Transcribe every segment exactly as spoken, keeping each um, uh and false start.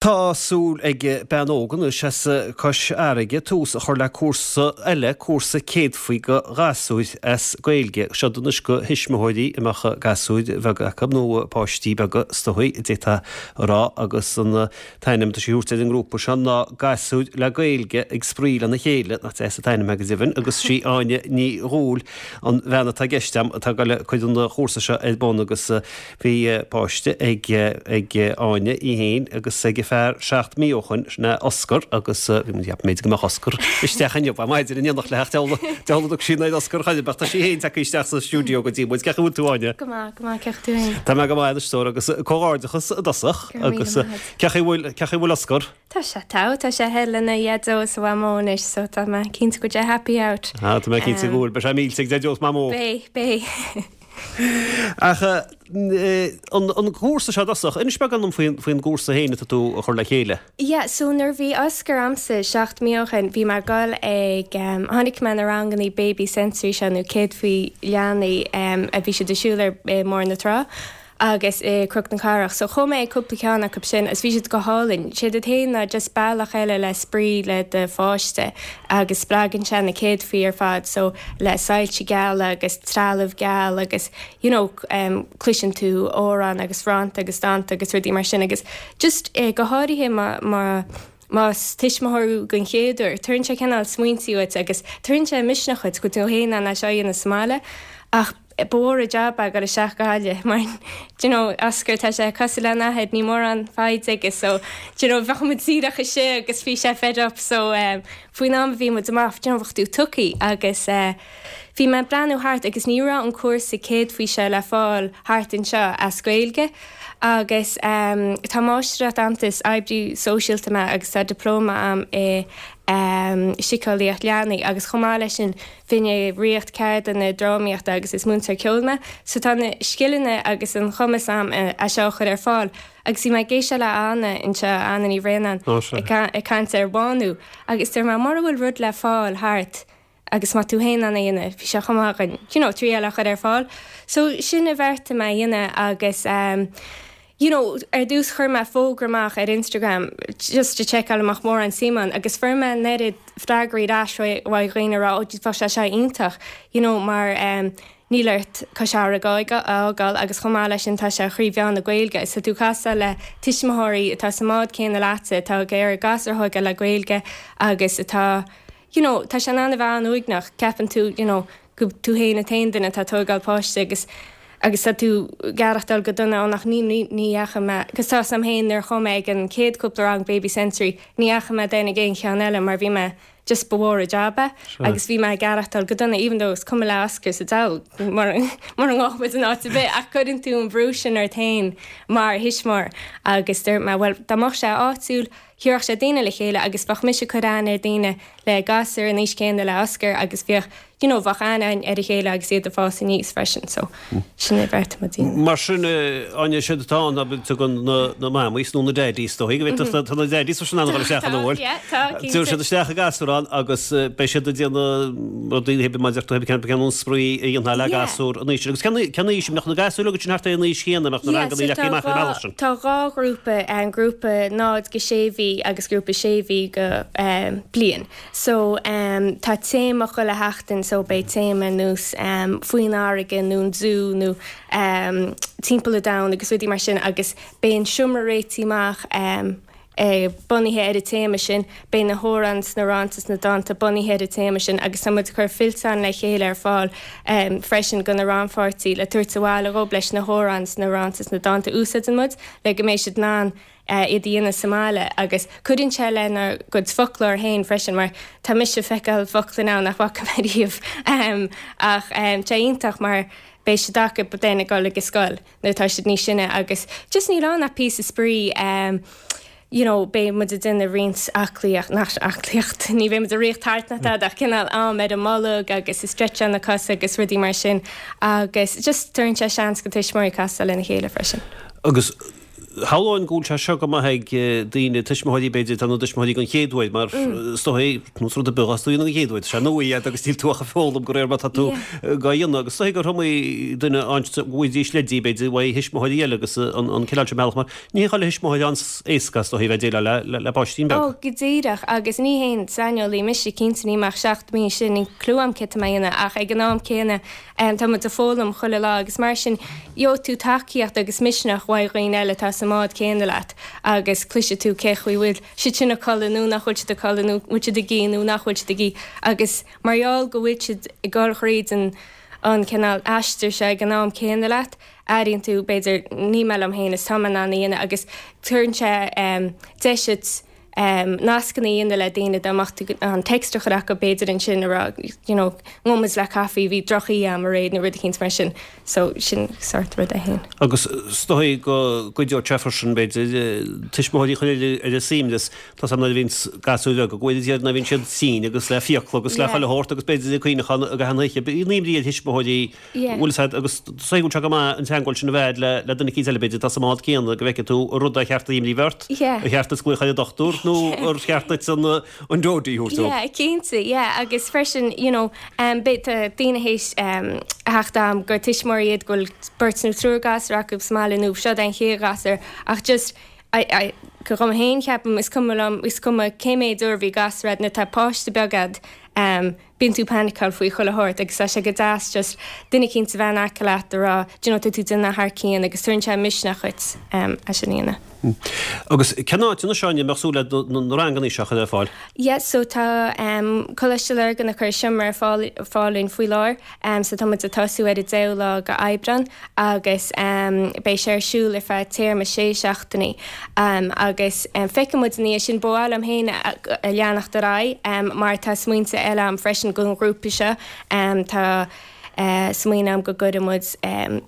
Tá súil ag bean óg anois as Cois Fharraige tús a chur le cúrsa eile cúrsa céadfaí do ghasúir as Gaeilge. Seo anois do thuismitheoirí a mbeadh gasúir bheaga acu nó páistí beaga is dóigh d'fhéadfá a rá agus an t-ainm atá sí ag tabhairt ar an ngrúpa seo ná gasúir le Gaeilge ag spraoi lena chéile nach deas an t-ainm go deimhin agus sí Áine Ní Dhúill an bhean atá i gceist atá ag dul cur an chúrsa seo ar bun agus bhí páiste ag ag Áine í féin agus ag fear seacht mí ó shin sin é Oscar agus bhí muid b'fhéidir go mbeadh Oscar isteach inniu ba maidir in éineacht le dealladh sí na Oscar chuile beach tá sí féin tagtha isteach sa stiúideo go dtí muid cén chaoi a bhfuil tú Áine. Go maith go maith cén chaoi tú Tá mé go maith a stór agus comhghairdeachas i dtosach agus cén chaoi a bhfuil cén chaoi a bhfuil Oscar. Tá sé tá tá sé thall lena Dhaideo is a Mhamó anois so tá mé cinnte go bhfuil sé happy out. Tá mé cinnte go bhfuil beidh sé millte ag Daideo is Mamó. Beidh beidh. Ach an cúrsa seo i dtosach, inis beagán dom faoin gcúrsa féin atá tú a chur le chéile. Yeah, so nuair bhí Oscar a'msa seacht mí ó shin, bhí mé ag dul ag um, tháinig mé na ranganna baby sensory seo nó céadfaí leanaí um, a bhí siad ar siúl ar eh, Bóthar na Trá agus i Cnoc na Cathrach. So chuaigh mé cúpla ceann acu sin is bhí siad go hálainn. Sé a théann ná just bealach eile le spraoi le do pháiste agus spreagann sé na céadfaí ar fad so le soilse geala agus trealamh geal agus you know, um, cloiseann tú amhrán agus rannta agus dánta agus rudaí mar sin agus just eh, go háirithe má má Más tuismitheoir den chéad uair, tugann sé cineál smaointe uait agus tugann sé misneach duit go tú féin an seo na smáile ach ba mhór an jab é dul isteach go Gaillimh mar you know, Oscar tá sé cosúil lena athair ní mórán foighid aige so you know, bheadh muid díreach istigh agus bhí sé fed up so um, faoin am bhí muid amach you know, bheadh tú tugtha agus uh, bhí mé breathnú thart agus ní raibh an cúrsa céadfaí seo le fáil thart anseo as Gaeilge agus um, tá máistreacht a'm is oibrí sóisialta mé agus tá dioplóma a'm i um, síceolaíocht leanaí agus chomh maith leis sin bhí mé ag rith ceardlanna drámaíochta agus is múinteoir ceoil mé, so tá na scileanna agus an cumas a'm é seo a chur ar fáil. Agus bhí mé ag éisteacht le Anna anseo Anna Ní Bhraonáin ag caint ar bhánú, agus dúirt mé mura bhfuil rud le fáil thart agus má tú féin an dhéanamh, bhí sé chomh maith an you know, triail a chur ar fáil. So sin a bheartaigh mé a dhéanamh agus um, you know, ar dtús chuir mé fógra amach ar Instagram just to checkáil amach mórán suim ann agus fuair mé an oiread freagraí ar ais ó dhaoine rá bheadh sé seo iontach, you know, mar um, níl ort Cois Fharraige a fhágáil agus chomh maith leis sin tá sé trí mheán na Gaeilge, so tú casadh le tuismitheoirí atá sa mbád céanna leatsa atá ag iarraidh gasúr a thógáil le Gaeilge agus atá you know, tá sé an bhean uaigneach ceapann tú you know, go tú féin an t-aon duine atá ag tógáil páiste agus agus tá tú garachtal go dona nach ní ní ní mé agus tá sam héin ar chomé ag an céad cúpla rang baby sensory ní dheachaigh mé den ag aon cheann eile mar bhí mé just ba mhór an jab é agus bhí mé garachtal go dona even though is cuma le Oscar sa dal mar mar an áit an áit bheith ach cuireann tú an brú sin ort féin mar thuismitheoir agus dúirt mé well dá mbeadh sé áitiúil thabharfadh sé daoine le chéile agus bheadh mise ag cur aithne ar daoine le gasúir an aois céanna le Oscar agus bheadh you know, bheadh aithne ar a chéile agus iad ag fás aníos freisin so sin é bheart mu Mar sin Áine siad atá ná tugann na na mamaís nó na daidís dó go tá na daidís sin an isteach an bhfuil. Tú siad isteach a gasúrán agus beidh siad ag déanamh rudaí hebe maidir tú cean cean an spraoi a dhéanamh le gasúr an aois agus cén aois mbeadh na gasúir agus sin thart ar an aois chéanna mbeadh na ranganna le amach ar bealach sin. Tá dhá ghrúpa an grúpa náid go sé mhí agus grúpa sé mhí go um, bliain. So um, tá téama chuile sheachtain so beidh téama nós um, faoin fharraige nó an zoo nó um, timpeall an domhain agus rudaí mar sin agus beidh an seomra réitithe amach um, eh, bunaithe ar an téama sin, beidh na hamhráin na rannta na dánta bunaithe ar an téama sin agus tá muid ag cur fillteán le chéile ar fáil um, freisin do na rannpháirtithe le tabhairt abhaile dhóibh leis na hamhráin na rannta na dánta úsáideann muid le go mbeidh siad in ann uh, iad a dhéanamh sa mbaile agus cuireann sé lena gcuid foclóir féin freisin mar tá mise ag feiceáil focla ann nach bhfaca mé riamh um, ach um, tá iontach mar beidh siad acu then ag dul ag scoil nuair tá siad níos sine agus just níl ann ach píosa spraoi um, you know, beidh muid ag déanamh roinnt aclaíocht nach aclaíocht ní bheidh muid ag rith thart ná tada ach cineál am ar an mbolg agus is stretch na cosa agus rudaí mar sin agus just tugann sé seans do tuismitheoirí casadh lena chéile freisin. Agus Shamhlóinn go bhfuil sé seo go maith ag daoine, tuismitheoirí b'fhéidir, atá ina dtuismitheoirí den chéad uair, mar is dóigh, nós rud ar bith atá tú a dhéanamh den chéad uair, tá sé nua duit agus níl tú ach ag foghlaim de réir mar atá tú dhá dhéanamh. Agus is dóigh gur iomaí duine a bhfaighidís leidí, b'fhéidir, uaidh thuismitheoirí eile agus an cineál sin bealach, mar ní hé chuile thuismitheoir an-éasca, is dóigh, a bheith ag déileáil le páistín beag. Ó, go díreach, agus ní haon saineolaí mise, cinnte, níl mé ach seacht mí, sin, níl clue a'm céard tá mé a dhéanamh, ach ag an am céanna, tá muid ag foghlaim chuile lá agus mar sin, gheobhaidh tú tacaíocht agus misneach uaidh dhaoine eile atá sa mbád céanna leat agus cloisfidh tú cé chaoi bhfuil siad sin ag codladh nó nach bhfuil siad ag codladh nó bhfuil siad ag ithe nó nach bhfuil siad ag ithe agus mar gheall go bhfuil siad ag dul thríd an an cineál aistear seo ag an am céanna leat, airíonn tú b'fhéidir níl mé liom féin is tá mé in ann a dhéanamh agus tugann sé deis duit nascanna a dhéanamh le daoine dá mbeadh tú an text a chur acu b'fhéidir ansin a rá you know ngabhfaidh muid le caife bhí drochoíche agam aréir nó rud eicínt mar sin so sin sort rud é féin. Agus is dóigh go gcuideodh sé freisin b'fhéidir tuismitheoirí a chur ar a suaimhneas tá 's agam nuair a bhíonns gasúir bheaga go bhfuil iad nuair a bhíonn siad tinn agus le fiacla agus le chuile shórt agus b'fhéidir ag cuimhneachán ag achan oíche bíonn imní ar thuismitheoirí bhfuil 's agat agus is dóigh go bhfuil sé go maith an teagmháil sin a bheith le le duine eicínt eile b'fhéidir atá sa mbád céanna go bhfeicfidh tú an rud ar cheart imní bheith ort, ar cheart duit glaoch ar an dochtúir nó ar cheart duit an an deoidí a thabhairt dó. Yeah, cinnte, yeah, agus freisin, you know, um, b'fhéidir tá daoine théis um, a theacht a'm gur tuismitheoirí iad go bhfuil beirt nó triúr gasúr acu sa mbaile nó seo an chéad ghasúr ach just I, I, go dhom féin ceapaim is cuma liom is cuma cé mhéad uair a bhí gasúr a'd nuair atá páiste beag a'd um, bíonn tú paniceáil faoi chuile shórt agus tá sé go deas just duine eicínt a bheith in aice leat a rá do you know tá tú déanamh thar cionn agus tugann sé misneach duit um, é sin a dhéanamh. Agus cén áit anois Áine a mbeadh súil le na ranganna seo a chur ar fáil? Yeah, so tá um, Coláiste Lurgan ag cur seomra ar fáil fáil dúinn faoi láthair, um, so tá muid ag tosú ar an deichiú lá go Aibreán agus um, beidh sé ar siúl ar feadh téarma sé seachtainí um, agus um, feicfidh muid ina dhiaidh sin ba mhaith liom féin a, a leanacht ar aghaidh um, mar tá smaointe eile a'm freisin don ghrúpa seo um, tá uh, smaoineamh a'm go gcuirfidh muid um,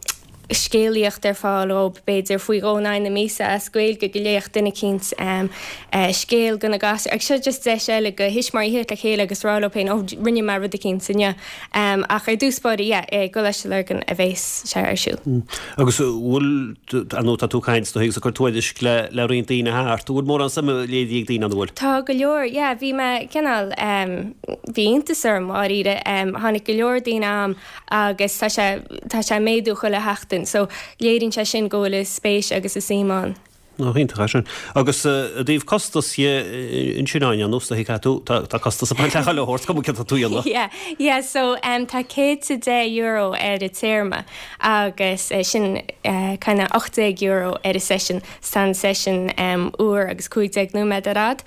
scéalaíocht ar fáil ó b'fhéidir faoi dhó in aghaidh na míosa as Gaeilge go léifeadh duine eicínt um, uh, scéal do na gasúir. Ag seo just deis eile go thuismitheoirí theacht le chéile agus rá leo féin ó rinne mé rud eicínt inniu. Um, ach ar dtús báire yeah, i gColáiste Lurgan a bheas sé ar siúl. Mm. Agus bhfuil nó tá tú caint do agus ag cur tuairisc le le roinnt daoine thart, bhfuil mórán suime léirithe ag daoine an bhfuil? Tá go leor, yeah, bhí mé cineál um, bhí iontas orm dáiríre um, tháinig go leor daoine a'm agus tá sé tá sé méadú chuile sheachtain, so léiríonn sé sin go bhfuil a spéis agus a suim ann. Ná hiontach é sin. Agus i dtaobh costas dhe ansin Áine, nós a thuig tú, tá tá costas ag baint le chuile shórt, cuma céard atá tú a dhéanamh. Yeah, yeah, so um, tá céad is a deich euro ar an téarma agus uh, sin uh, kind of ocht déag euro ar an session, tá an session um, uair agus cúig déag nóiméad ar fhad.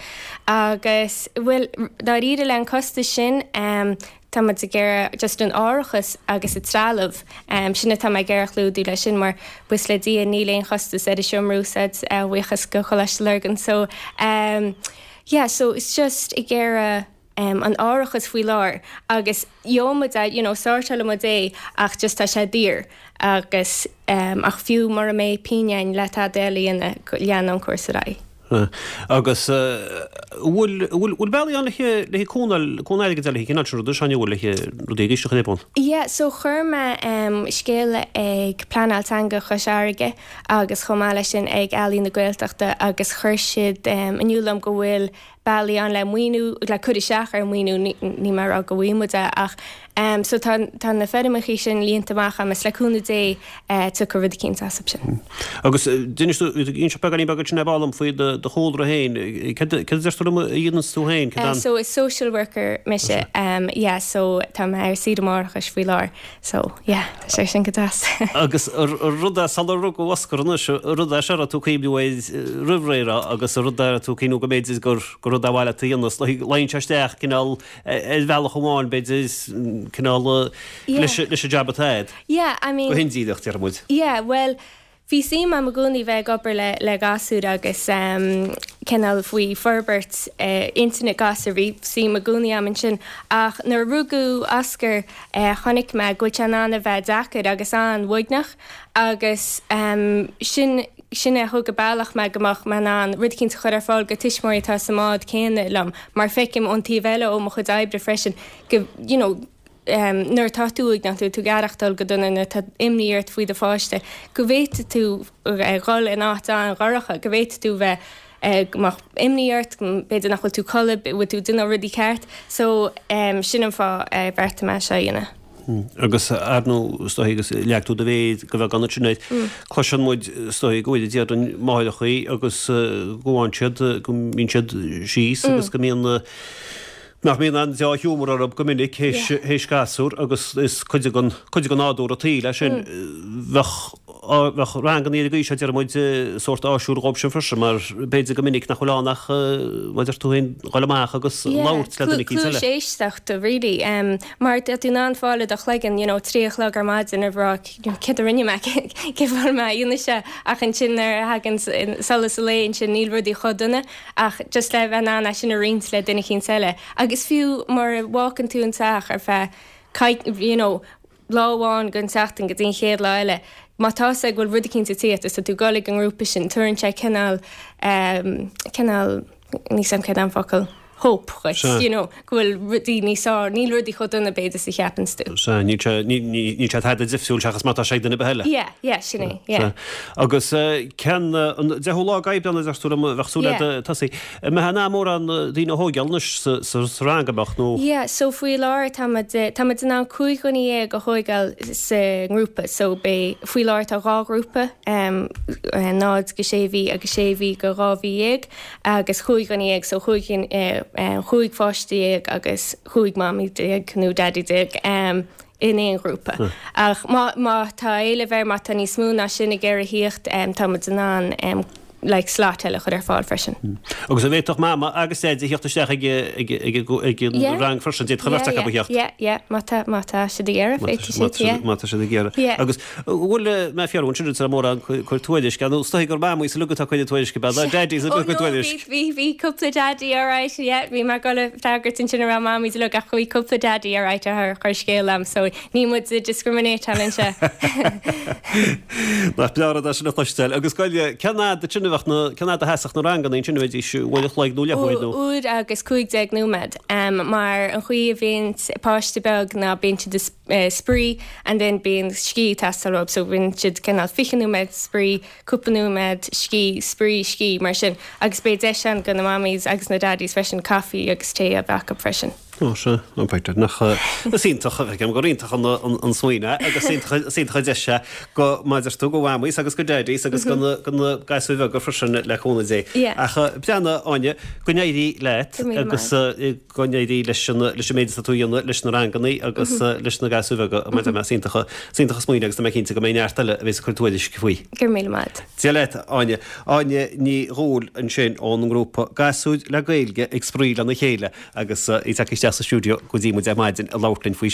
Agus bhuel dáiríre le an costas sin um, tá muid ag iarraidh just an árachas agus an trealamh um, sin atá mé ag iarraidh clúdú leis sin mar buíochas le Dia níl aon chostas ar an seomra úsáid uh, buíochas go Choláiste Lurgan. So um, yeah, so it's just ag iarraidh um, an árachas faoi láthair agus gheobhaidh muid you know, sórtáil muid é ach just tá sé daor agus um, ach fiú mura mbeidh pingin le tada eile lean an cúrsa ar aghaidh. Agus bhfuil bhfuil bealaí ann le le cúnamh cúnamh airgid le cinn rud sin bhfuil le rudaí éisteach le bun. Yeah, so chuir mé um, scéal ag Pleanáil Teanga Chois Fharraige agus chomh maith leis sin ag Ealaín na Gaeltachta agus chuir siad um, in iúl dom go bhfuil bealaí ann le maoiniú le cur isteach ar maoiniú ní mar go bhfuil muid ach um, so tá tá na foirmeacha sin líonta amach agus le cúnamh Dé uh, tiocfaidh rud eicínt as sin. Agus d'inis tú inse beagáinín beag sin ar ball faoi do do chúlra féin cad cad a deir tú liom a dhéanann tú féin Uh, so is social worker mise um, yeah, so tá mé ar saoire máithreachais faoi láthair so yeah, tá sé sin go deas. Agus rud é sular rugadh Oscar anois rud é seo tú cuimhniú roimh ré agus rud é tú cuimhniú go mb'fhéidir gur gur rud a bhaile tú dhéanamh luíonn sé isteach cineál ar bhealach amháin b'fhéidir cineál leis leis an jab atá agat. Yeah, I mean Go hindíreach deir muid. Yeah, well bhí suim agam i gcónaí bheith ag obair le le gasúir agus um, cineál faoi forbairt uh, intinne gasúr bhí suim i gcónaí agam ansin ach nuair a rugadh Oscar uh, chonaic mé go bhfuil sé in ann a bheith deacair agus an-uaigneach agus um, sin sin a thug a bealach mé go mbeadh mé in ann rud eicínt a chur ar fáil go tuismitheoirí atá sa mbád céanna liom mar feicim ón taobh eile ó mo chuid oibre freisin go you know, nuair atá tú uaigneach, tú ag aireachtáil go dona nó tá imní ort faoi do pháiste, go bhféadfaidh tú dhul in áit an-dhorcha, go bhféadfaidh tú bheith go mbeadh imní ort, b'fhéidir nach bhfuil tú codladh, bhfuil tú ag déanamh rudaí ceart. So sin an fáth ar bheartaigh mé seo a dhéanamh. Agus ar ndóigh, is dóigh, agus leag tú do mhéar go bheagán ansin air, cloiseann muid, is dóigh, go bhfuil, déarfainn, máithreachaí agus go bhfaigheann siad, go mbíonn siad síos agus go mbíonn, nach mbíonn an deá-ghiúmar orthu go minic théis gasúr agus is cuid den, cuid de nádúr an tsaoil é sin. Bheadh, bheadh ranganna ar an gcaoi seo, deir muid, sórt áisiúil dhóibh sin freisin mar b'fhéidir go minic nach bhfuil ann ach, mar a deir tú féin, dhul amach agus labhairt le duine eicínt eile. Cluas éisteachta really. Mar tá tú in ann fáil i do chloigeann, you know, trí a chlog ar maidin ag rá céard a rinne mé, cén fáth a bhfuil mé a dhéanamh seo ach ansin nuair a thagann solas an lae ansin níl rudaí chomh dona. Ach just le bheith in ann é sin a roinnt le duine eicínt eile. Agus fiú mura bhfágann tú an teach ar feadh coic, you know, lá amháin den tseachtain go dtí an chéad lá eile, má tá 'fhios agat go bhfuil rud eicínt ag tíocht is tá tú ag dul ag an ngrúpa sin, tabharann sé cineál, ehm, cineál, níl 'fhios a'm céard é an focal, hope dhuit, Sea. you know, go bhfuil rudaí níos fearr, níl rudaí chomh dona b'fhéidir is a cheapanns tú. Sea, níl sé, níl sé tada difriúil seachas má tá sé ag duine ar bith eile. Yeah, yeah, sin é, yeah. Sea. Agus cén, an deichiú lá d'Aibreán a deir tú liom, bheadh súil agat tosaí. An mbeidh in ann mórán daoine a thógáil anois sa rang, an mbeadh, nó? Yeah, so faoi láthair tá muid, tá muid in ann cúig dhuine dhéag a thógáil sa ngrúpa, so beidh, faoi láthair tá dhá ghrúpa, náid go sé mhí agus sé mhí go dhá mhí dhéag. agus chúig dhuine dhéag, so chúig chúig pháiste dhéag agus chúig mamaí déag nó daidí déag in aon ghrúpa. Ach má má tá éileamh air, má tá níos mó ná sin ag iarraidh thíocht, tá muid in ann like slot eile a chur ar fáil freisin. Agus an bhféadfadh mama agus daidí thíocht isteach ag ag ag ag an rang freisin, d'fhéadfadh an bheirt acu a theacht? Yeah, yeah, má tá má tá siad ag iarraidh, féadfaidh siad, yeah. Má tá siad ag iarraidh. Yeah. Agus bhfuil mé fiú ansin sa mórán cur tuairisc, nó is dóigh gur mamaí is uilig atá ag cur tuairisc ab ea, daddies ag cur tuairisc. Bhí bhí cúpla daddy alright, yeah, bhí mé ag dul a freagairt ansin a raibh mamaí uilig ach bhí cúpla daddy alright a chuir scéal liom, so níl muid ag discriminate-áil anseo. Nach breá an rud é sin a chloisteáil. Agus gabh i leith, cén fhad ansin a bheadh na, cén fhad a sheasfadh na ranganna ansin, an mbeidís uair a chloig nó leathuair nó? Uair agus cúig déag nóiméad. Mar an chaoi a bhíonn páiste beag ná bíonn siad ag spraoi and then bíonn scíth ag teastáil uathu so bíonn siad cineál fiche nóiméad spraoi, cúpla nóiméad scíth, spraoi, scíth mar sin agus beidh deis ann do na mammies agus na daddies freisin caife agus tae a bheith acu freisin. Ó sea, ó b'fhéidir nach, is iontach, feicim gur iontach an an smaoineamh é agus is iontach an deis é go, mar a deir tú, go mhamaís agus go daddies agus go na go na gasúir bheaga freisin le cúnamh Dé. Ach breathnaigh, Áine, go n-éirí leat agus go n-éirí leis an leis an méid atá tú a dhéanamh leis na ranganna agus leis na gasúir bheaga mar a deir mé, is iontach is iontach an smaoineamh agus tá mé cinnte go mbeidh neart eile a bheas ag cur tuairisc faoi. Go raibh míle maith. Dia leat, Áine. Áine Ní Dhubhghaill ansin ón ngrúpa Gasúir le Gaeilge ag Spraoi lena Chéile agus í tagtha isteach sa stiúideo go dtí muid ar maidin ag labhairt linn faoi sin.